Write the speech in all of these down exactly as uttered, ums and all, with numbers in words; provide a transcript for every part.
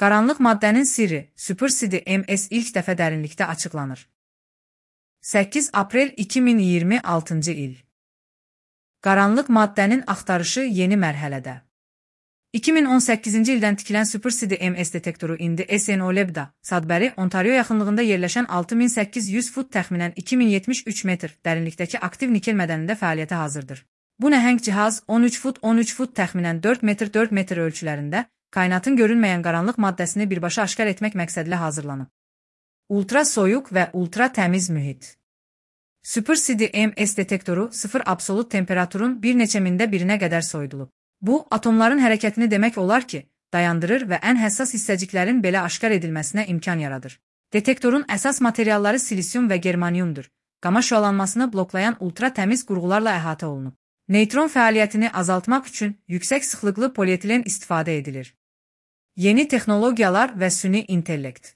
Qaranlıq maddənin sirri Super C D M S ilk dəfə dərinlikdə açıqlanır. səkkiz aprel iki min iyirmi altıncı il. Qaranlıq maddənin axtarışı yeni mərhələdə. iki min on səkkizinci ildən tikilən Super C D M S detektoru indi S N O Lab'da, Sudbury, Ontario yaxınlığında yerləşən altı min səkkiz yüz fut təxminən iki min yetmiş üç metr dərinlikdəki aktiv nikel mədənində fəaliyyətə hazırdır. Bu nəhəng cihaz on üç fut on üç fut təxminən dörd metr dörd metr ölçülərində kainatın görünməyən qaranlıq maddəsini birbaşa aşkar etmək məqsədilə hazırlanıb. Ultra soyuq və ultra təmiz mühit. Super C D M S detektoru sıfır absolut temperaturun bir neçə mində birinə qədər soyudulub. Bu, atomların hərəkətini demək olar ki, dayandırır və ən həssas hissəciklərin belə aşkar edilməsinə imkan yaradır. Detektorun əsas materialları silisyum və germaniumdur. Qama şüalanmasını bloklayan ultra təmiz qurğularla əhatə olunub. Neytron fəaliyyətini azaltmaq üçün yüksək sıxlıqlı polietilen istifadə edilir. Yeni texnologiyalar və süni intellekt.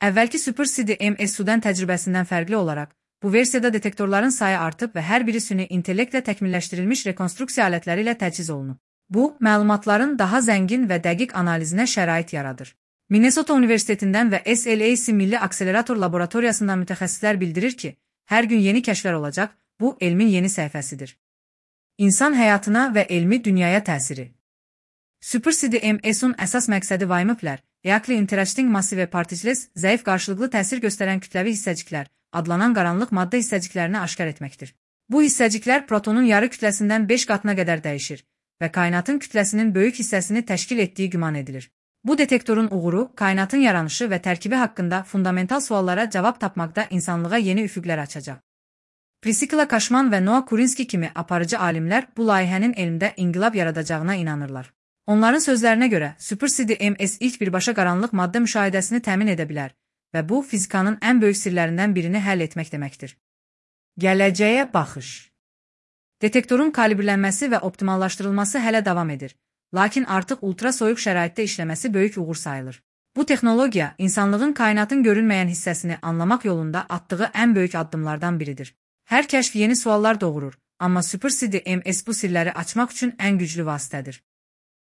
Əvvəlki Super C D M S sudan təcrübəsindən fərqli olaraq, bu versiyada detektorların sayı artıb və hər biri süni intellektlə təkmilləşdirilmiş rekonstruksiya alətləri ilə təchiz olunub. Bu, məlumatların daha zəngin və dəqiq analizinə şərait yaradır. Minnesota Universitetindən və S L A C Milli Akselerator Laboratoriyasından mütəxəssislər bildirir ki, hər gün yeni kəşflər olacaq, bu elmin yeni səhifəsidir. İnsan həyatına və elmi dünyaya təsiri. Super C D M S-un əsas məqsədi Weimiplər, Eakli Interesting Massive Particles, zəif qarşılıqlı təsir göstərən kütləvi hissəciklər, adlanan qaranlıq maddə hissəciklərini aşkar etməkdir. Bu hissəciklər protonun yarı kütləsindən beş qatına qədər dəyişir və kainatın kütləsinin böyük hissəsini təşkil etdiyi güman edilir. Bu detektorun uğuru, kainatın yaranışı və tərkibi haqqında fundamental suallara cavab tapmaqda insanlığa yeni üfüqlər açacaq. Priscilla Kaşman və Noah Kurinski kimi aparıcı alimlər bu layihənin elmdə inqilab yaradacağına inanırlar. Onların sözlərinə görə, Super C D M S ilk birbaşa qaranlıq maddə müşahidəsini təmin edə bilər və bu, fizikanın ən böyük sirlərindən birini həll etmək deməkdir. Gələcəyə baxış. Detektorun kalibrlənməsi və optimallaşdırılması hələ davam edir, lakin artıq ultra soyuq şəraitdə işləməsi böyük uğur sayılır. Bu texnologiya, insanlığın kainatın görünməyən hissəsini anlamaq yolunda atdığı ən böyük addımlardan biridir. Hər kəşf yeni suallar doğurur, amma Super C D M S bu sirləri açmaq üçün ən güclü vasitədir.